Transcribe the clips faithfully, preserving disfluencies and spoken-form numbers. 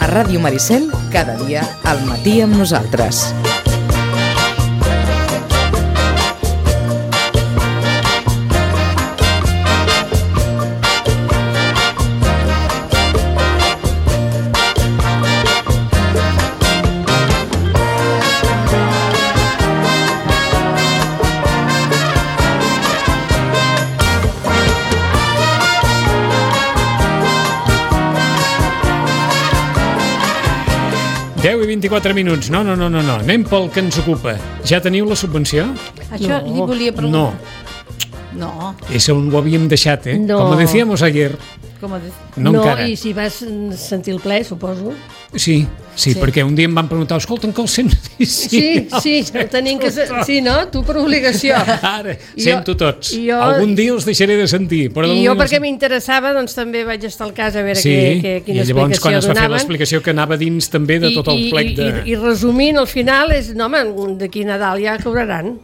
A Ràdio Maricel, cada dia al matí amb nosaltres. deu i vint-i-quatre minuts. No, no, no, no, no. Anem pel que ens ocupa. Ja teniu la subvenció? Això no. li volia preguntar. No. No. Eso on ho havíem deixat, eh? No. Como decíamos ayer. Com de... No, no encara. I si vas sentir el ple, suposo. Sí, sí, sí, perquè un dia em van preguntar, escolta, que el sents? Sí, sí, sí, sí, tenim que... Sí, no? Tu per obligació. Ara, sento tots. Jo, Algun dia els deixaré de sentir. Però I jo, perquè m'interessava, doncs també vaig estar al cas a veure sí, que, que, quina i llavors explicació quan es va donaven. fer l'explicació que anava dins també de tot el I, plec de... I, i, i resumint, al final és, no, home, d'aquí Nadal ja cobraran.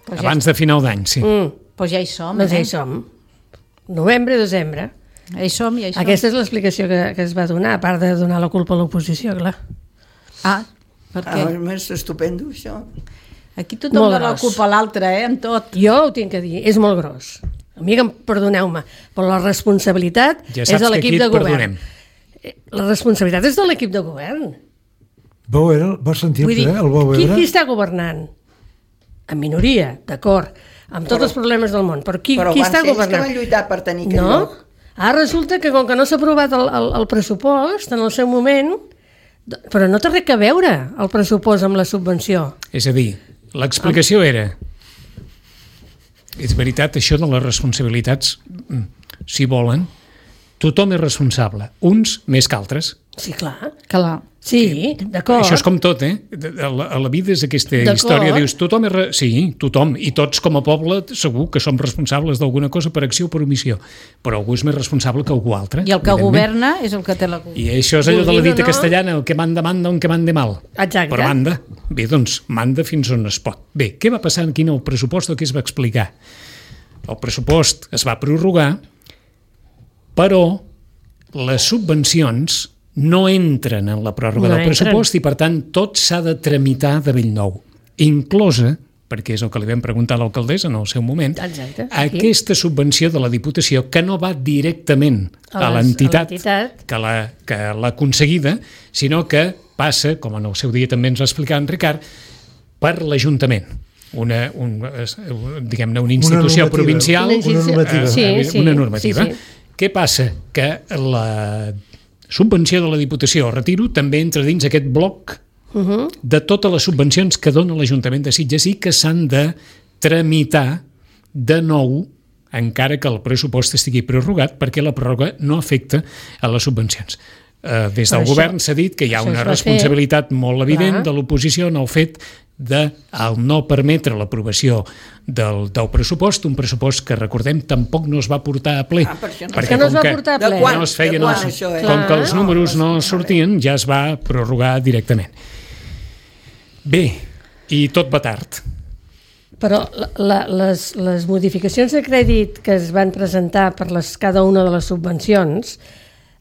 Pues Abans ja... de final d'any, sí. Mm. Pues ja hi som, Doncs eh? ja hi som. Novembre, desembre. Ja hi som, ja hi som. Aquesta és l'explicació que, que es va donar, a part de donar la culpa a l'oposició, clar. Ah, per què? Ah, és estupendo, això. Aquí tothom Molt dona la gros. culpa a l'altre, eh, en tot. Jo ho tinc que dir, és molt gros. Amiga, perdoneu-me, però la responsabilitat Ja és saps de que l'equip aquí de et govern. perdonem. La responsabilitat és de l'equip de govern. Vau veure, vas sentir-te, Vull dir, eh? El vau qui, veure? qui està governant? En minoria, d'acord, amb tots Però- els problemes del món, però qui, Però qui van està ser ells que governant? van lluitar per tenir aquell No? lloc. Ara resulta que com que no s'ha aprovat el, el, el pressupost en el seu moment, però no té res a veure el pressupost amb la subvenció. És a dir, l'explicació era... És veritat, això de les responsabilitats, si volen, tothom és responsable, uns més que altres. Sí, clar. Clar. Sí, d'acord. Això és com tot, eh? A la, a la vida és aquesta D'acord. història, dius, tothom és... Re... Sí, tothom, i tots com a poble segur que som responsables d'alguna cosa per acció o per omissió, però algú és més responsable que algú altre. I el que evidentment. governa és el que té la culpa. I això és allò de la Vulguin o dita no. castellana, el que manda, manda, un que mande mal. Exacte. Però manda. Bé, doncs, manda fins on es pot. Bé, què va passar aquí en el pressupost o què es va explicar? El pressupost es va prorrogar, però les subvencions no entren en la pròrroga No del entren. pressupost i, per tant, tot s'ha de tramitar de bell nou, inclosa, perquè és el que li vam preguntar a l'alcaldessa en el seu moment, Exacte, aquí. aquesta subvenció de la Diputació que no va directament A a les- l'entitat a l'entitat. que la, que l'ha aconseguida, sinó que passa, com en el seu dia també ens va explicar en Ricard, per l'Ajuntament. Una, un, es- diguem-ne, una institució normativa. provincial, Una institució- Una normativa. Sí, eh, sí, una normativa. sí, sí. Què passa? Que la subvenció de la Diputació, retiro, també entra dins aquest bloc Uh -huh. de totes les subvencions que dona l'Ajuntament de Sitges i que s'han de tramitar de nou encara que el pressupost estigui prorrogat perquè la pròrroga no afecta a les subvencions. Eh, des del Però això- govern s'ha dit que hi ha això una es va responsabilitat molt evident Clar. de l'oposició en el fet de el no permetre l'aprovació del, del pressupost, un pressupost que, recordem, tampoc no es va portar a ple. Ah, per això no. perquè Que no es com va que portar a De ple. quan? no es feien De quan, els, això, eh? com que els Clar. números no sortien, ja es va prorrogar directament. Bé, i tot va tard. Però la, la, les, les modificacions de crèdit que es van presentar per les, cada una de les subvencions,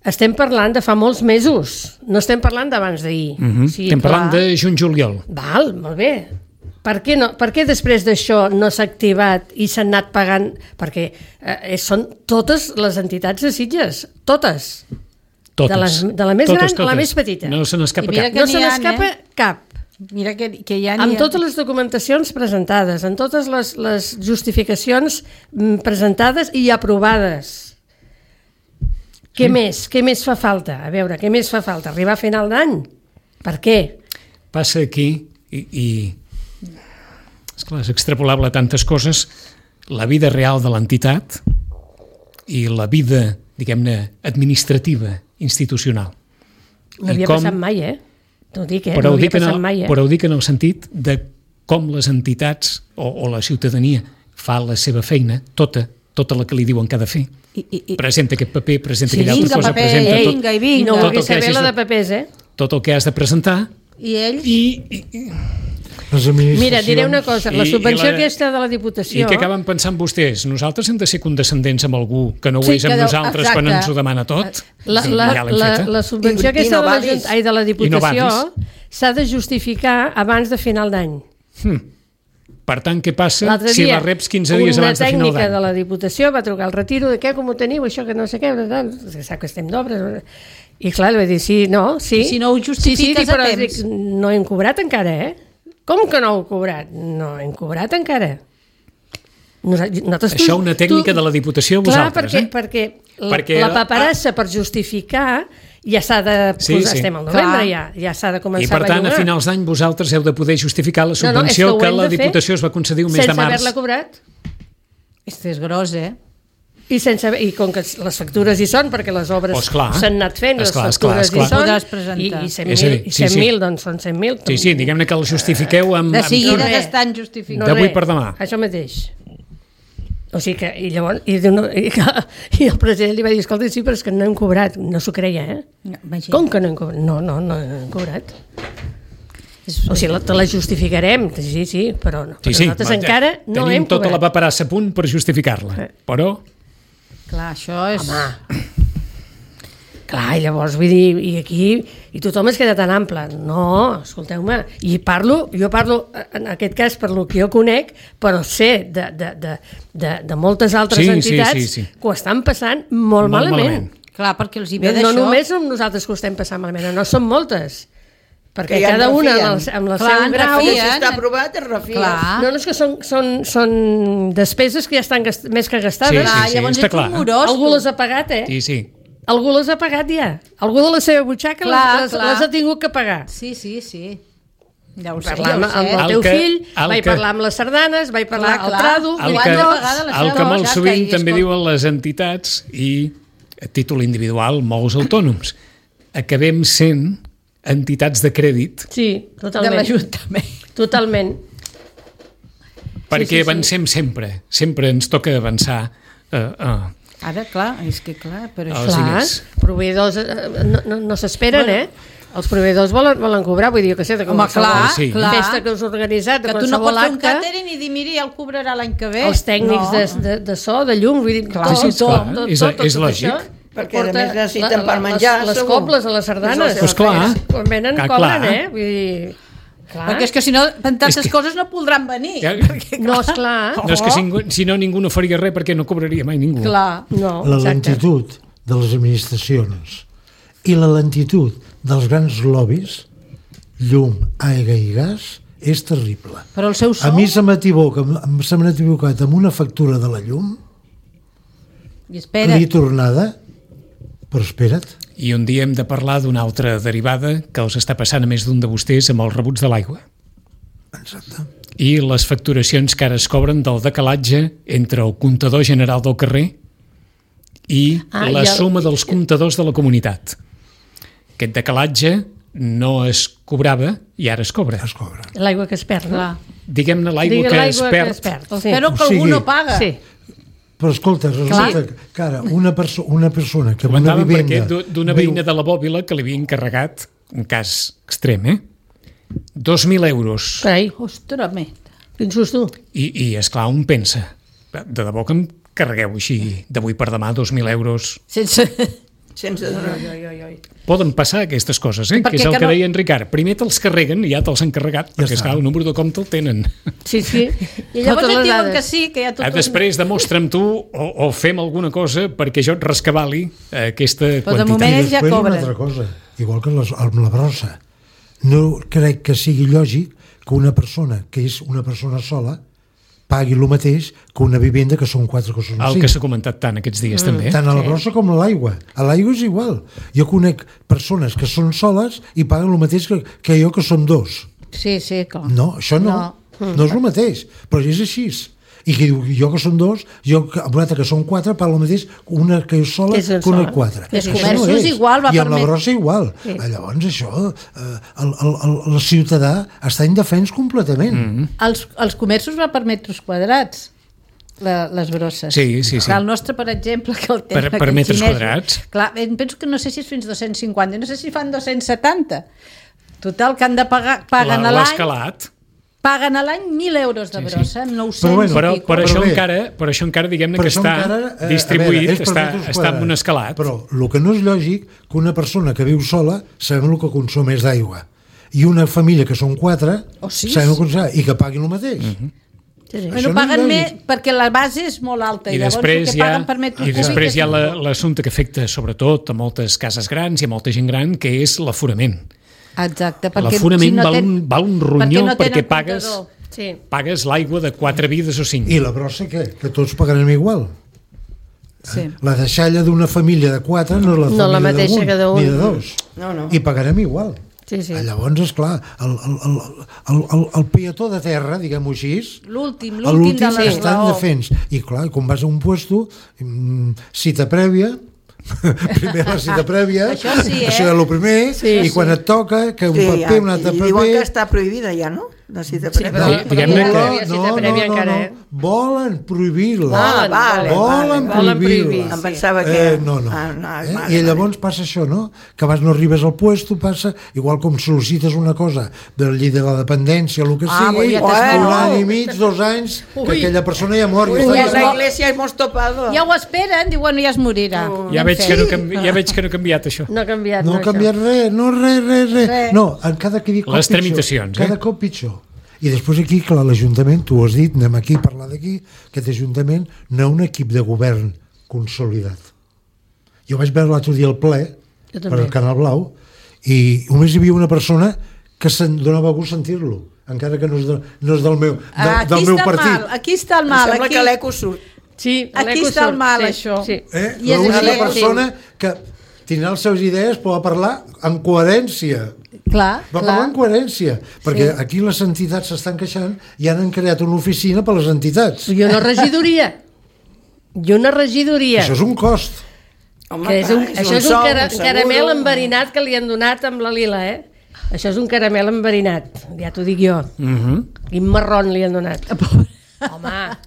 estem parlant de fa molts mesos, no estem parlant d'abans d'ahir. Mm -hmm. O sigui, Estem parlant clar. de juny-juliol. Val, molt bé. Per què, no, per què després d'això no s'ha activat i s'han anat pagant? Perquè eh, són totes les entitats de Sitges, totes. Totes. De, les, de la més totes, gran totes. a la més petita. No se n'escapa I mira cap. que No n'hi se ha, n'escapa eh? cap. Mira que, que ja n'hi Amb ha... totes les documentacions presentades, amb totes les, les justificacions mm, presentades i aprovades. Què Sí. més? Què més fa falta? A veure, què més fa falta? Arribar a final d'any? Per què? Passa aquí i, i esclar, és extrapolable a tantes coses, la vida real de l'entitat i la vida, diguem-ne, administrativa, institucional. No I havia com- passat mai, eh? T'ho dic, eh? Però No ho havia dic en passat el, mai, eh? però ho dic en el sentit de com les entitats o, o la ciutadania fa la seva feina, tota, tota la que li diuen que ha de fer. I, i, i... Presenta aquest paper, presenta Sí, aquella altra vinga, cosa, paper, presenta tot, vinga, i I vinga. no Tot vulgui el que saber hagis la de- de papers, eh? tot el que has de presentar I ells? i, i, i Les administracions... Mira, diré una cosa, la I- subvenció i la- aquesta de la Diputació... I què acaben pensant vostès? Nosaltres hem de ser condescendents amb algú que no ho Sí, és amb que deu- nosaltres quan exacte. ens ho demana tot? La, Sí, la, ja l'hem la, feta. la subvenció I- i aquesta no de la, valis. Junta- ai, de la Diputació valis. s'ha de justificar abans de final d'any. Per tant, què passa L'altre si dia, la reps quinze dies abans de final una tècnica de d'any? la Diputació va trucar al retiro de què, com ho teniu, això que no sé què, que sap que estem d'obres. I clar, li va dir, sí, no, sí. I si no ho justifiques sí, sí, a però temps. dic, no hem cobrat encara, eh? Com que no heu cobrat? No hem cobrat encara. Nosaltres, Això una tècnica de la Diputació, clar, vosaltres, perquè, eh? perquè, la, Perquè la el- paperassa per justificar ja s'ha de Sí, posar, sí. estem al novembre Clar. ja, ja s'ha de començar I per tant, a bellugar. finals d'any vosaltres heu de poder justificar la No, no, és que subvenció ho que hem la de fer Diputació es va concedir un mes de sense març. haver-la cobrat. Este és gros, eh? I, sense, I com que les factures hi són, perquè les obres Oh, esclar. s'han anat fent, les Esclar, esclar, factures esclar. hi són, Podràs presentar. i, i cent És a mil, dir, i sí, cent sí. mil, doncs són cent mil. Sí, sí, diguem-ne que la justifiqueu amb... De amb seguida tot. que estan justificant. d'avui res, per demà. Això mateix. O sigui que, i llavors, i, no, i, i el president li va dir, escolta, sí, però és que no hem cobrat. No s'ho creia, eh? Imagina. Com que no hem cobrat? No, no, no hem cobrat. O sigui, la, te la justificarem, sí, sí, però no. Sí, sí, nosaltres va, encara no tenim hem tota cobrat. la paperassa a punt per justificar-la, Eh. però Clar, això és... Home, clar, i llavors vull dir, i aquí, i tothom es queda tan ample. No, escolteu-me, i parlo, jo parlo, en aquest cas, per lo que jo conec, però sé de, de, de, de, de moltes altres Sí, sí, entitats sí, sí. que ho estan passant molt, Molt malament. malament. Clar, perquè els hi ve No, d'això. no només som nosaltres que ho estem passant malament, no, són moltes. Perquè Que ja cada en una amb, refien. el, amb la Clar, seu en grau... refien. Si està aprovat, es refia. Clar. No, no, és que són, són, són despeses que ja estan gast més que gastades. Sí, Clar, sí, llavors està ets clar. un morós. Algú tu. les ha pagat, eh? sí, sí. Algú les ha pagat ja. Algú de la seva butxaca Clar, les, les, clar. les ha tingut que pagar. Sí, sí, sí. Ja ho sé, Parlar ja amb, ho sé. amb el El teu que- fill, el vaig que- parlar amb les sardanes, vaig parlar Clar, al clar. trado, El Ho que, han de pagar de la el seva que molt butxaca sovint i, també escolta- diuen les entitats i a títol individual molts autònoms, acabem sent entitats de crèdit Sí, De totalment. l'Ajuntament. Totalment. perquè sí, sí. avancem sempre, sempre ens toca avançar eh, eh, Ara, clar, és que clar, però Els això... Clar, diners. proveïdors eh, no, no, no s'esperen, eh? Els proveïdors volen, volen cobrar, vull dir, jo que sé, de Home, clar, Sí. clar. festa que us heu organitzat, de Que tu no qualsevol pots fer un acte, càtering i dir, miri, ja el cobrarà l'any que ve. els tècnics no. de, de, de so, de llum, vull dir, Clar, tot, sí, sí, tot, clar, tot, és- tot, tot, és tot lògic. això Perquè, a porta més, necessiten la- la- per menjar, les, les segur. cobles a les sardanes. Pues clar. Quan venen, Ah, cobren, clar. eh? Vull dir... Clar. Perquè és que si no, en tantes És que- coses no podran venir. Ja- No, esclar. no és que si, si no ningú no faria res perquè no cobraria mai ningú. Clar. No, La exacte. lentitud de les administracions i la lentitud dels grans lobbies, llum, aigua i gas, és terrible. Però el seu A sou... mi se m'equivoca, em- se m'ha equivocat amb una factura de la llum, I espera, li tornada, però espera't, I un dia hem de parlar d'una altra derivada que els està passant a més d'un de vostès amb els rebuts de l'aigua. exacte. I les facturacions que ara es cobren del decalatge entre el comptador general del carrer i Ah, la i el- suma dels comptadors de la comunitat. Aquest decalatge no es cobrava i ara es cobra. Es cobren. L'aigua que es perd, no? clar. Diguem-ne l'aigua Digue que, l'aigua es que perd. es perd. Sí. Espero que O sigui, algú no paga. Sí. Però escolta, resulta que, que ara una, perso una persona que en una Comentàvem perquè vivenda... d'u- d'una viu- veïna de la Bòbila que li havia encarregat, un cas extrem, eh? dos mil euros. Carai, Ostres, me. quin susto. I, i esclar, un pensa, de debò que em carregueu així d'avui per demà dos mil euros. Sense... Sense donar. Poden passar aquestes coses, eh? Per Que és què el que que no? deia en Ricard. Primer te'ls carreguen i ja te'ls han carregat, Ja perquè està. esclar, el número de compte el tenen. Sí, sí. I llavors Totes et les diuen dades. que sí, que ja tot... Ah, després demostra'm tu o, o fem alguna cosa perquè jo et rescabali eh, aquesta Però de quantitat. moment- I Ells ja després una cobren. altra cosa, igual que les, amb la brossa. No crec que sigui lògic que una persona que és una persona sola pagui el mateix que una vivenda que són quatre que són El cinc. que s'ha comentat tant aquests dies mm. també. Tant a la brossa com a l'aigua. A l'aigua és igual. Jo conec persones que són soles i paguen el mateix que, que jo que som dos. Sí, sí, clar. No, això no. No, no és el mateix. Però és així. I que diu, jo que són dos, jo que, amb l'altre que són quatre, pago el mateix una que és sola Que és que sola. una quatre. Els Això comerços és. igual va I amb permet- la brossa igual. Sí. Ah, llavors això, eh, el, el, el, el ciutadà està indefens completament. Mm -hmm. Els, els comerços va per metres quadrats, la, les brosses. Sí, sí, sí. Clar, el nostre, per exemple, que el tenen Per- per aquests metres xinesos, quadrats. Clar, em penso que no sé si és fins dos-cents cinquanta, no sé si fan dos-cents setanta. Total, que han de pagar, paguen La- a l'any... L'escalat. paguen a l'any mil euros de brossa, sí, sí. nou-cents Però bueno, i Però, pico. per, això bé. encara, per això encara diguem-ne Per que això està encara, eh, distribuït, a veure, és per està, metres està en un quadrats. escalat. Però el que no és lògic que una persona que viu sola sabem el que consum és d'aigua i una família que són quatre O sis. sabem el que consum i que paguin el mateix. Mhm. Sí, sí. Això Bueno, no és paguen lògic. més perquè la base és molt alta I i llavors després el que hi ha, paguen per metre i cúbic després és hi ha la- molt. l'assumpte que afecta sobretot a moltes cases grans i a molta gent gran, que és l'aforament. Exacte, perquè L'aforament si no val, ten- un, val un ronyó perquè no perquè tenen pagues, comptador. Sí. pagues l'aigua de quatre vides o cinc. I la brossa què? Que tots pagarem igual. Sí. La deixalla d'una família de quatre no és la No família la mateixa d'un, que d'un. ni de dos. No, no. I pagarem igual. Sí, sí. Llavors, esclar, el, el, el, el, el, el peató de terra, diguem-ho així, L'últim, a l'últim de l'últim estan l'esglaó. defens. I clar, quan vas a un puesto, mm, cita prèvia, primer la cita prèvia, Això sí, eh? això és el primer, Sí, i sí. quan et toca, que un Sí, paper, ja, un altre i paper... diuen que està prohibida ja, no? La cita Sí, prèvia. però, Di- però diguem-ne ja que- no hi havia cita prèvia encara, eh? volen prohibir-la. Ah, vale, volen vale, volen prohibir, prohibir-la. Em pensava que... Eh, no, no. Ah, no eh? vale, I llavors passa això, no? Que abans no arribes al puesto, passa, igual com sol·licites una cosa del llit de la dependència o el que Ah, sigui, ja un t'espero. any i mig, dos anys, que Ui. aquella persona ja mor. Ui, Ja en està. la iglesia hemos topado. Ja ho esperen, diuen ja es morirà. Ja Ben veig, fet. que no, canvi, ja veig que no ha canviat això. No ha canviat. No ha això. canviat res, no res, res, res. Res. No, en cada que dic cop Les pitjor. tramitacions, eh? Cada cop pitjor. I després aquí, clar, l'Ajuntament, tu ho has dit, anem aquí a parlar d'aquí, aquest Ajuntament no hi ha un equip de govern consolidat. Jo vaig veure l'altre dia el ple Jo per també. al Canal Blau i només hi havia una persona que se'n donava gust sentir-lo, encara que no és, de, no és del meu, de, Ah, aquí del meu està partit. mal, aquí està el Em mal. sembla Aquí, que l'eco surt. Sí, Aquí l'eco està el surt, mal, sí, això. Sí. Eh? I és L'única així, persona que tindrà les seves idees pot parlar en coherència. clar, Va parlar clar. en coherència, perquè aquí les entitats s'estan queixant i han creat una oficina per les entitats. I una regidoria. I una regidoria. Això és un cost. Home, Que és un, clar, això és un, sou, cara, seguro. caramel enverinat que li han donat amb la lila, eh? Això és un caramel enverinat, ja t'ho dic jo. Mhm. Quin marrón li han donat. Home.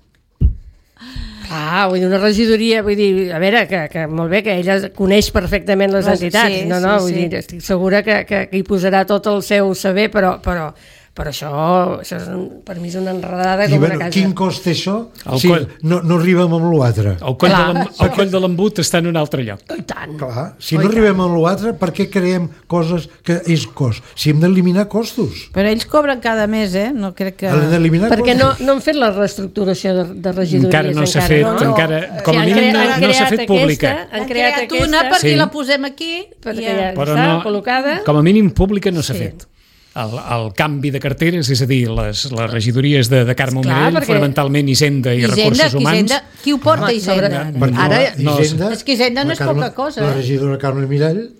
Ah, vull dir, una regidoria, vull dir, a veure, que, que molt bé, que ella coneix perfectament les Les- entitats, sí, no, no, sí, vull sí. dir, estic segura que, que, que hi posarà tot el seu saber, però, però, però això, això és un, per mi és una enredada I com bueno, una casa. quin cost té això? El Si coll. no, no arribem amb l'altre. El coll, Clar. de l'em- el coll de l'embut està en un altre lloc. I tant. Clar, si no arribem amb l'altre, per què creem coses que és cost? Si hem d'eliminar costos. Però ells cobren cada mes, eh? No crec que... Hem d'eliminar Perquè no, costos. no han fet la reestructuració de, de regidories Encara no s'ha fet, no? encara, com a han mínim cre- no, han no s'ha creat fet pública. Aquesta, han Han creat, creat aquesta, una perquè Sí. la posem aquí perquè i ja Però està no, col·locada. com a mínim pública no s'ha Sí. fet. El, el canvi de carteres, és a dir, les, les regidories de, de Carme Esclar, Mirell, perquè- fonamentalment Hisenda i Hisenda, Recursos que Humans, Hisenda, qui ho porta, Home, sobre- Hisenda? Perquè Ara, la Hisenda, és que Hisenda no la és Carme- poca cosa, La eh? regidora Carme Mirall,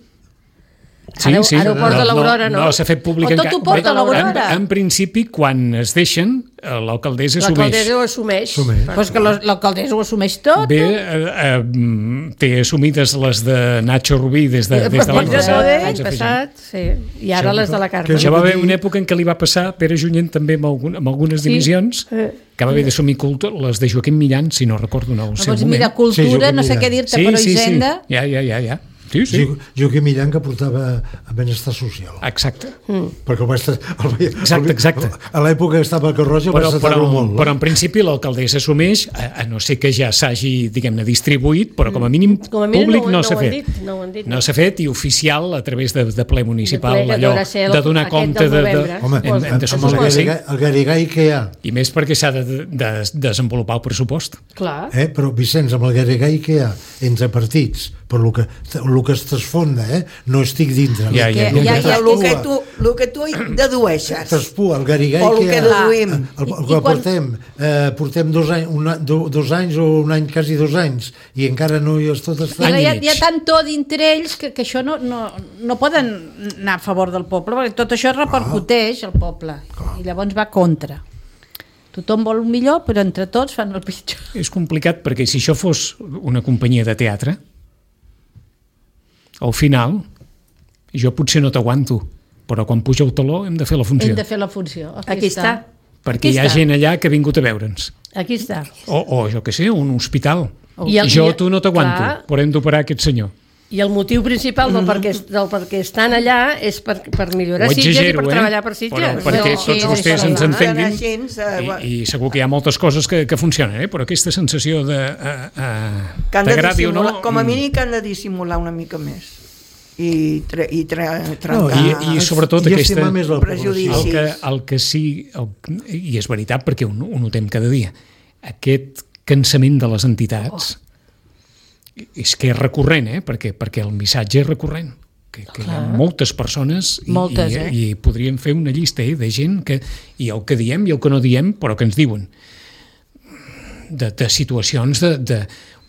Sí, Ara- sí. ara ho porta l'Aurora, no? No, s'ha fet públic O tot encara. ho porta Bé, l'Aurora. En, en principi, quan es deixen, eh, l'alcaldessa assumeix. L'alcaldessa ho assumeix. Assumeix. Pues que lo- l'alcaldessa ho assumeix tot. Bé, eh, eh, té assumides les de Nacho Rubí des de, des de l'any Des de passat. l'any anys L'any afegint. passat, sí. I ara les de la Carme. que- Això va haver una època en què li va passar a Pere Junyent també amb, algun, amb algunes Sí. dimissions, Eh. que va haver d'assumir culto, les de Joaquim Millán, si no recordo no, el seu Doncs moment. mira, cultura, Sí, no sé mira. què dir-te, sí, però sí, Hisenda... sí. Ja, ja, ja, ja. Sí, sí. Jo, Joaquim Millán que portava a benestar social. Exacte. Perquè el va estar, el, va- Exacte, exacte. A l'època que estava a Carroja Però, va però, estar-ho molt. però en principi l'alcaldessa assumeix, a, a no ser que ja s'hagi, diguem-ne, distribuït, però com a mínim Com a mínim públic no ho- no, no s'ha ho han fet. dit, no ho han dit, no no. s'ha fet i oficial a través de, de ple municipal, De ple, que allò deurà ser el- de donar aquest compte del de... de, novembre. Home, hem, hem de amb suposar el que sí. Garrigai, el Garrigai que hi ha, I més perquè s'ha de, de, de desenvolupar el pressupost. Clar. eh? Però Vicenç, amb el Garrigai que hi ha entre partits, per lo que, lo que es transfonda, eh? No estic dintre. Ja, ja, Que, ja, ja, ja. ja, el que tu, el que tu dedueixes. Traspua, el Garrigai O el que que hi ha, deduïm. el, el, I- el i que quan- portem, eh, portem dos, any, un, any- do, dos anys o un any, quasi dos anys, i encara no hi és tot I està. Any i hi ha, mig. hi ha tant to dintre ells que, que això no, no, no poden anar a favor del poble, perquè tot això repercuteix al poble i llavors va contra. Tothom vol un millor, però entre tots fan el pitjor. És complicat perquè si això fos una companyia de teatre, al final, jo potser no t'aguanto, però quan puja el taló hem de fer la funció. Hem de fer la funció. Aquí, Aquí està. Perquè Aquí hi ha està. gent allà que ha vingut a veure'ns. Aquí està. O, o jo què sé, un hospital. I el- jo i- a tu no t'aguanto, clar. però hem d'operar aquest senyor. I el motiu principal del, perquè, del perquè estan allà és per, per millorar Ho Sitges i exagero, per eh? treballar per Sitges. Però perquè No, tots sí, vostès sí, ens sí. entenguin Així, eh, i, i segur que hi ha moltes coses que, que funcionen, eh? Però aquesta sensació de uh, uh, que han de t'agradi o no... dissimular, com a mm, mínim que han de dissimular una mica més i, tre, i tre, No, trencar i- i sobretot I aquesta- estimar més la prejudicis. població. el que, el que sí, el, i és veritat perquè ho, ho notem cada dia, aquest cansament de les entitats oh. és que és recurrent, eh? perquè, perquè el missatge és recurrent, que, que hi ha moltes persones i, Moltes, i, eh? i podríem fer una llista eh, de gent que, i el que diem i el que no diem, però que ens diuen de, de situacions de, de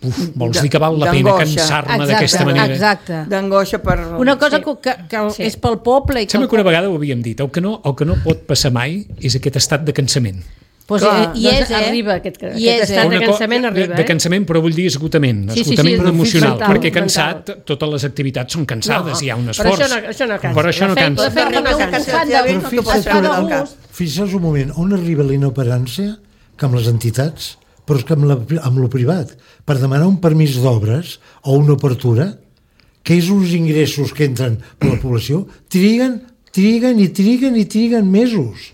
uf, vols De- dir que val la pena d'angoixa. cansar-me Exacte, d'aquesta manera? exacte. d'angoixa per... Una cosa Sí. que, que, que Sí. és pel poble i que, Sembla que una vegada ho havíem dit, el que no, el que no pot passar mai és aquest estat de cansament. pues, Clar, eh, i doncs és, eh? arriba aquest- I aquest és, estat eh? de Una co- cansament arriba, de, de eh? cansament, però vull dir esgotament, Sí, sí, sí, esgotament però emocional, mental, perquè mental. cansat totes les activitats són cansades, No, hi ha un però esforç. això no- això no cansa. Però això no La feina- cansa. la feina no no cansa. cansa. Cansat de Però no fixa't t'ho que de el- gust. Fixa't un moment, on arriba la inoperància que amb les entitats, però és que amb, la, amb lo privat, per demanar un permís d'obres o una obertura, que és uns ingressos que entren per la població, triguen, triguen i triguen i triguen mesos.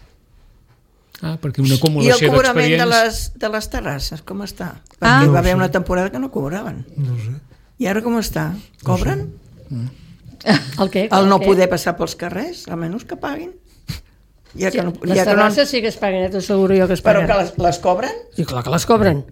Ah, perquè una I el acumulació cobrament de d'expedients... les, de les terrasses, com està? Perquè Ah. hi No va ho haver sé. una temporada que no cobraven. No sé. I ara com està? Cobren? El què? El no què? poder passar pels carrers, almenys que paguin. Ja Sí, que no, les ja que no, terrasses sí que es paguen, eh? T'ho asseguro jo que es però paguen. que les, les cobren, I clar que les cobren.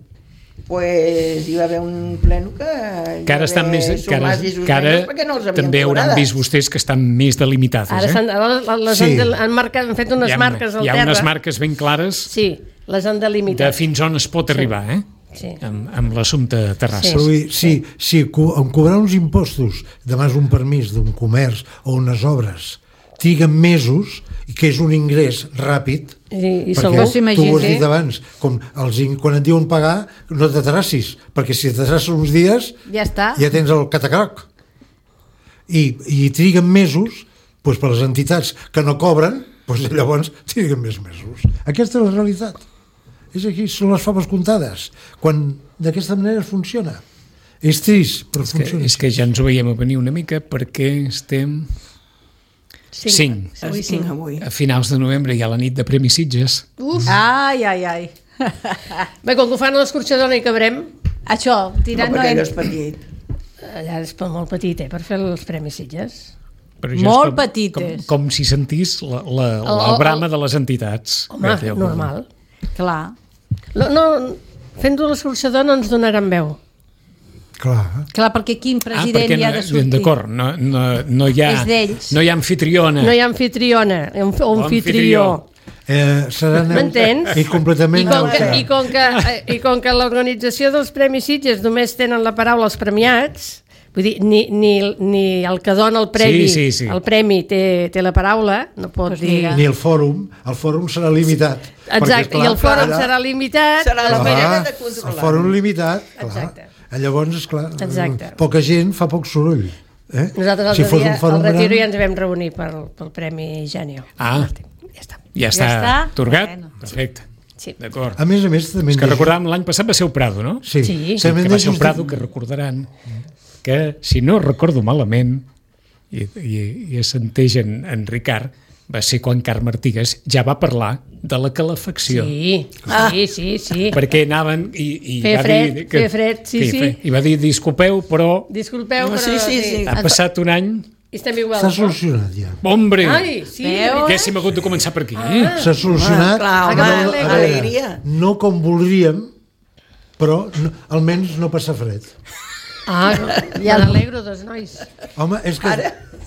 pues hi va haver un pleno que... Que ara estan més... Que ara, que ara perquè no els havien també hauran cobrades. vist vostès que estan més delimitades, Ara, eh? s'han- ara les Sí. han, del- han, marcat, han fet unes hi ha, marques al hi ha terra. unes marques ben clares Sí, les han delimitat. de fins on es pot arribar, eh? Sí. Amb, amb l'assumpte de Terrassa. Sí. Però vull dir, si, si co en cobrar uns impostos, demanes un permís d'un comerç o unes obres, triguen mesos, i que és un ingrés ràpid, I, i perquè segur. s'imagina, tu ho has sí. dit abans, com els, in- quan et diuen pagar, no t'atrassis, perquè si t'atrasses uns dies Ja està. ja tens el catacroc. I, i triguen mesos, doncs per les entitats que no cobren, doncs llavors triguen més mesos. Aquesta és la realitat. És aquí, són les faves comptades. Quan d'aquesta manera funciona. És trist, però És que, funciona. és que ja ens ho veiem a venir una mica perquè estem cinc. Els cinc avui. A finals de novembre hi ha la nit de Premi Sitges. Uf. Ai, ai, ai. Bé, com que ho fan a l'escorxador no hi cabrem, Això, No, tirant no, perquè hem... allò és petit. allà és pel molt petit, eh, per fer els Premis Sitges. Però ja és Molt com, petites. Com, com si sentís la, la, la El- el- brama de les entitats. Home, Bé, Déu, normal. Clar, No, no, fent-ho a l'escorxador no ens donaran veu. Clar. clar, perquè quin Ah, president perquè hi ha no, de sortir? d'acord, no, no, no hi ha, És d'ells. no hi ha anfitriona. No hi ha anfitriona, o anf- o anfitrió. Eh, serà neutre M'entens? i completament I com, que, neutre. i, com que, eh, I com que l'organització dels Premis Sitges només tenen la paraula els premiats, vull dir, ni, ni, ni el que dona el premi, Sí, sí, sí. el premi té, té la paraula, no pot Pues dir... mira. Ni el fòrum, el fòrum serà limitat. Perquè, Exacte, esclar, i el fòrum allà- serà limitat. Serà la es manera mira- de el controlar. fòrum limitat, clar. Exacte. Llavors, esclar, Exacte. poca gent fa poc soroll. Eh? Nosaltres Si l'altre fos dia un fòrum al Retiro gran- ja ens vam reunir pel, pel Premi Genio. Ah, Ja està. ja està, està? atorgat? Bueno. Perfecte. Sí. D'acord. A més a més, també... És que recordàvem l'any passat va ser el Prado, no? Sí, Sí. també Que va ser el Prado, que recordaran que, si no recordo malament, i, i, i assenteix en, en Ricard, va ser quan Carme Artigas ja va parlar de la calefacció. Sí, sí, sí, sí. Perquè anaven i, i Feia va fred, dir... feia fred, sí, sí. fe- I va dir, disculpeu, però Disculpeu, No, però sí, sí, sí. ha passat un any... I estem igual. S'ha no? solucionat ja. Hombre, Ai, sí. Veus? que hem hagut de començar per aquí. Ah. S'ha solucionat. clar, home, no, a veure, alegria. no com voldríem, però no, almenys no passa fred. Ah, ja n'alegro dels nois. Home, és que,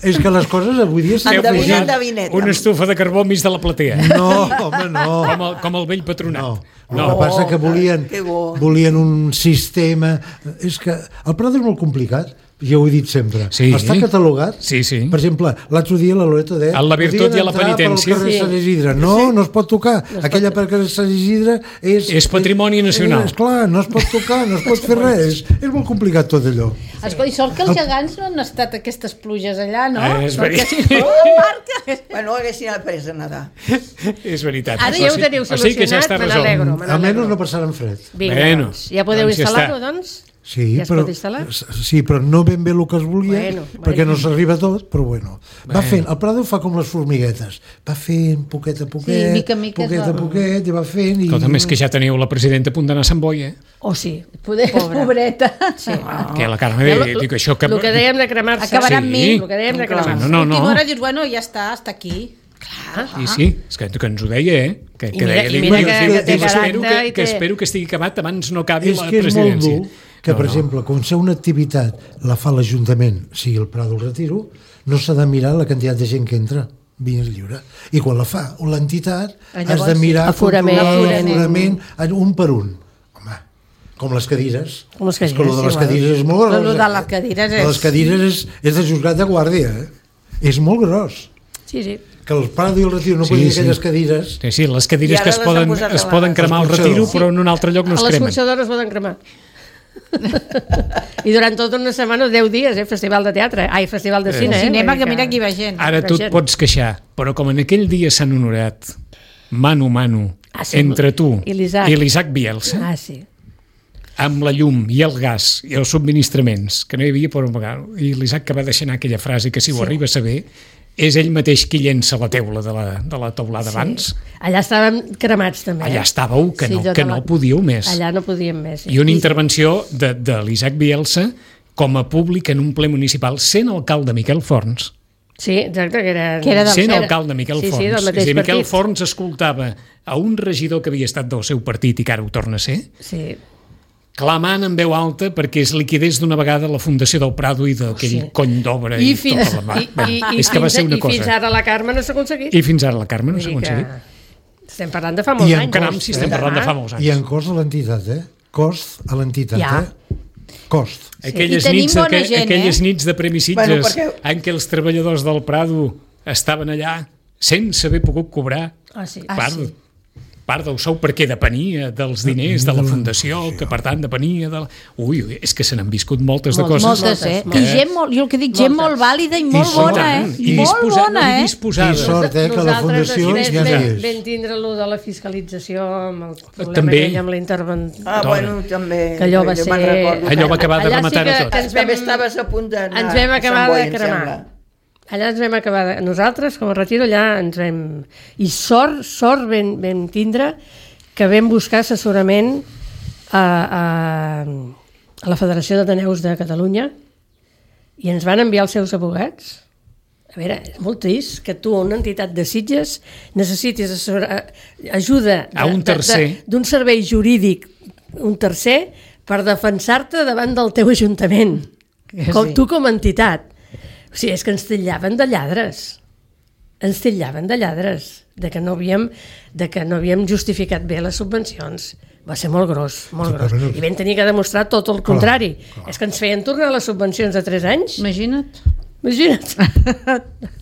és que les coses avui dia s'han Endevina, posat... endevineta. Una estufa de carbó enmig de la platea. No, home, no. Com el, com el vell patronat. No. El que passa que volien, que bo. volien un sistema... És que el Prado és molt complicat, ja ho he dit sempre. Sí. Està catalogat. Sí, sí. Per exemple, l'altre dia la Loreto deia... A la virtut podien i a la entrar penitència. pel carrer Sí. Sant Isidre. No, no es pot tocar. Aquella per carrer Sant Isidre és... És patrimoni nacional. És, clar, no es pot tocar, no es pot fer res. És molt complicat tot allò. Escolta, i sort que els gegants no han estat aquestes pluges allà, no? Eh, és Perquè veritat. si no, la marca... Bueno, haguessin après a nedar. És veritat. Ara O ja ho sigui- teniu o sigui que ja solucionat, està me resolt. n'alegro, me Almenys n'alegro. no passaran fred. Vinga, Bueno, doncs. Ja podeu doncs ja instal·lar-ho, està. doncs? Sí, Ja es però, pot instal·lar? sí, però no ben bé el que es volia, Bueno, perquè bueno. no s'arriba a tot, però bueno. Va Bueno. fent, el Prado fa com les formiguetes, va fent poquet a poquet, Sí, mica a mica es poquet va- a poquet, i va fent... I... Escolta, més que ja teniu la presidenta a punt d'anar a Sant Boi, eh? Oh, sí. Poder, Pobra. pobreta. Sí. Que la Carme, Ja, eh, dic això que... El que dèiem de cremar-se. Acabarà amb Sí. mi. El que dèiem de Clar. cremar-se. No, no, Última no. hora dius, bueno, ja està, està aquí. I sí, és que, que ens ho deia, eh? Que, I que mira- deia, i dic, mira diu, que- diu, que té diu, espero, caràcter que, i que té- espero que estigui acabat abans no acabi És la que és molt presidència. dur que, per exemple, quan ser una activitat la fa l'Ajuntament, sigui el Prado o el Retiro, no s'ha de mirar la quantitat de gent que entra vins lliure. I quan la fa l'entitat, has Llavors de sí. mirar Aforament. controlar l'aforament un per un. Home, com les cadires. Com les És que cadires, lo de les igual. cadires és molt gros. Lo de eh? les cadires Lo de les és- cadires és, és de juzgat de guàrdia. Eh? És molt gros. Sí, sí. Que el Prado i el Retiro no Sí, poden dir sí. aquelles cadires... Sí, sí, les I cadires ara que es les poden, han posat a es la- poden cremar al L'escorxador. retiro, però en un altre lloc no es A les cremen. escorxadores poden cremar. I durant tota una setmana, deu dies, eh? Festival de teatre. Ai, festival de cine, eh? Cinema, Vull dir que mira aquí va gent. Ara tu et gent. pots queixar, però com en aquell dia s'han honorat mano a mano Ah, sí, entre tu i l'Isaac. i l'Isaac Bielsa, Ah, sí. amb la llum i el gas i els subministraments, que no hi havia per un vegada, i l'Isaac que va deixar anar aquella frase que si ho Sí. arriba a saber, és ell mateix qui llença la teula de la, de la teulada abans. Allà estàvem cremats, també. Allà eh? estàveu, que, Sí, no, jo que de la- no podíeu més. Allà no podíem més. sí. I una intervenció de, de l'Isaac Bielsa com a públic en un ple municipal, sent alcalde Miquel Forns, Sí, exacte, que era... Que era del- sent era- alcalde Miquel sí, Forns. Sí, del és a mateix dir, Miquel partit. Forns escoltava a un regidor que havia estat del seu partit i que ara ho torna a ser, Sí. clamant en veu alta perquè es liquidés d'una vegada la Fundació del Prado i d'aquell Sí. cony d'obra i, I fins, tota la mà. i, i, i, és que va fins, ser una i fins cosa. ara la Carme no s'ha aconseguit. I fins ara la Carme no s'ha Vull dir que aconseguit. Estem parlant de fa molts I en anys. Caram, si estem parlant de fa molts I anys. en cost a l'entitat, eh? Cost a l'entitat, Ja. eh? Cost. Aquelles, I tenim nits, bona aqu gent, aquelles eh? nits de Premi Bueno, Sitges perquè- en què els treballadors del Prado estaven allà sense haver pogut cobrar Ah, sí. part, part del sou perquè depenia dels diners de la Fundació, que per tant depenia de la... Ui, ui, és que se n'han viscut moltes de Moltes, coses. Moltes, eh? moltes. I gent molt, jo el que dic, gent Moltes. molt vàlida i molt I bona, eh? tant, i molt disposa- bona, i eh? disposada. I sort, eh, que la Nosaltres Fundació després ja no vam, és. vam tindre allò de la fiscalització amb el problema També. aquell amb la intervenció. Ah, Dona. bueno, també. Que allò va jo ser- me'n recordo. Allò va acabar de Allà sí rematar que- a tot. que ens També vam- estaves a punt d'anar Ens vam a acabar Sant Boi, de em cremar. sembla. Allà ens vam acabar, de... nosaltres com a retiro allà ens vam... I sort, sort vam, vam tindre que vam buscar assessorament a, a, a la Federació d'Ateneus de Catalunya i ens van enviar els seus advocats. A veure, és molt trist que tu, una entitat de Sitges, necessitis assessora, ajuda A un tercer. d'un servei jurídic, un tercer, per defensar-te davant del teu ajuntament, Que com, sí. tu com a entitat. O sigui, és que ens titllaven de lladres. Ens titllaven de lladres, de que no havíem, de que no havíem justificat bé les subvencions. Va ser molt gros, molt gros. I vam tenir que demostrar tot el contrari. És que ens feien tornar les subvencions de tres anys. Imagina't. Imagina't.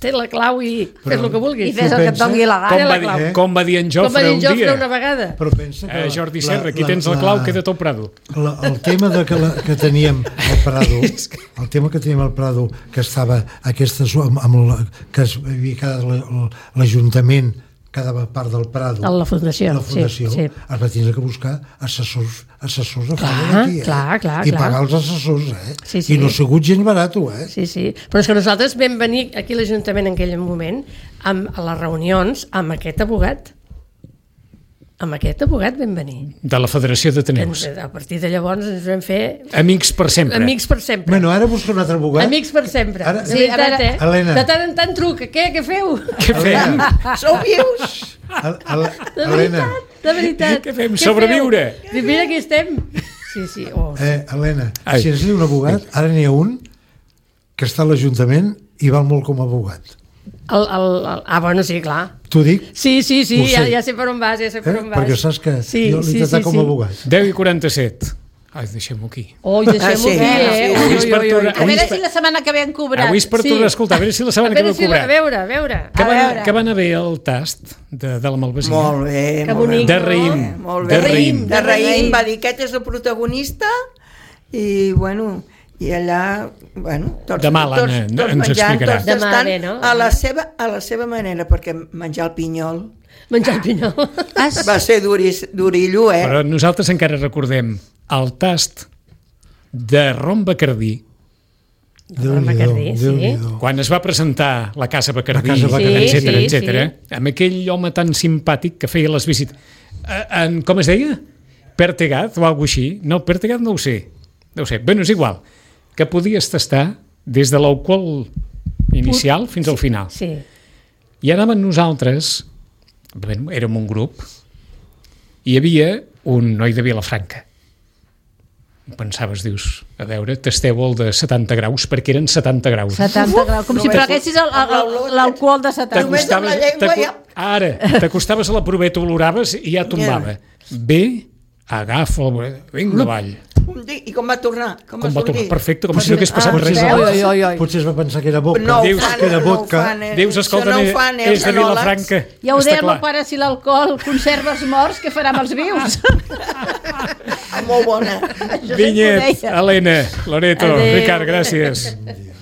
Té la clau i fes el que vulguis. I fes el que et doni la Com gana. va, la clau. dir, com va dir en Com va Jofre dir un en Jofre dia? una vegada. Però pensa que... Eh, la- Jordi la- Serra, aquí la- tens la clau, queda't al Prado. La, el tema de que, la, que teníem al Prado, el tema que teníem al Prado, que estava aquesta, su- amb, amb la, que es havia quedat la- l'Ajuntament, cada part del Prado, A la fundació, la fundació sí, sí. es va tindre que buscar assessors, assessors a Clar, fora d'aquí, eh? clar, clar, I clar. pagar els assessors, eh? Sí, sí. I no ha sigut gens barat, eh? Sí, sí. Però és que nosaltres vam venir aquí a l'Ajuntament en aquell moment amb, a les reunions amb aquest abogat. Amb aquest abogat vam venir. De la Federació Ens, d'Ateneus. a partir de llavors ens vam fer Amics per sempre. amics per sempre. Bueno, ara busca un altre abogat. Amics per sempre. Ara- de Sí, veritat, a veure, eh? Helena. De tant en tant truca. Què, què feu? Què fem? Sou vius? El, el, De Helena, veritat, de veritat. Què fem? Sobreviure. Feu? Mira, aquí estem. Sí, sí. Oh. eh, Helena, Ai. si necessita un abogat, ara n'hi ha un que està a l'Ajuntament i val molt com a abogat. El, el, el, ah, bueno, sí, clar. T'ho dic, Sí, sí, sí, Ho sé. ja, ja sé per on vas, ja sé per eh? on vas. perquè saps que Sí, jo l'he sí, tratat sí, com sí. a abogat. deu i quaranta-set. Ai, deixem-ho aquí. Oi, deixem-ho Ah, sí, aquí, eh? sí, Ui, avui és ui, per ui, ui. tornar- A veure si la setmana que ve han cobrat. Avui és per Sí. tornar a escoltar, a veure si la A setmana que ve veure, ho si la, a cobrat. veure, a veure. Que A va, veure. que va anar bé el tast de, de la Malvasia. Molt bé, Que molt bonic, bé. De no? raïm. Molt De bé. raïm. De raïm, va dir, aquest és el protagonista i, bueno, i allà, bueno, tots, Demà, tots, l'Anna tots ens menjant, explicarà. tots Demà estan bé, no? a la seva, a la seva manera, perquè menjar el pinyol Menjar el pinyol. Has... va ser duris, durillo, eh? Però nosaltres encara recordem el tast de rom Bacardí, Rom Bacardí, sí. Déu-n'hi-do. quan es va presentar la Casa Bacardí, La Casa Bacardí. etcètera, Sí, etcètera, sí, amb aquell home tan simpàtic que feia les visites. Eh, En, com es deia? Pertegat o alguna així? No, Pertegat no ho sé. No ho sé. Bé, no és igual. Que podies tastar des de l'alcohol inicial fins al final. Sí. I anàvem nosaltres, bé, érem un grup, hi havia un noi de Vilafranca. Pensaves, dius, a veure, tasteu el de setanta graus, perquè eren setanta graus. setanta graus, com si només- preguessis el- el- el- l'alcohol de setanta. Només amb la llengua t'aco- ja- Ara, t'acostaves a la proveta, oloraves i ja tombava. Bé, agafa el... Vinga, avall. Un dia, I com va tornar? Com, Com va tornar? sortir? Perfecte, com si no hagués passat Ah, res. veus? abans. Oi, oi, oi. Potser es va pensar que era vodka. No ho Dius fan, que era no ho vodka. fan, eh? Dius, Això escolta, no ho fan, eh, és de els enòlegs. Vilafranca. Ja ho està deia el clar. meu pare, si l'alcohol conserva els morts, què farà amb els vius? Ah, molt bona. Això sempre ho Vinyet, deia. Helena, Loreto, Adéu. Ricard, gràcies.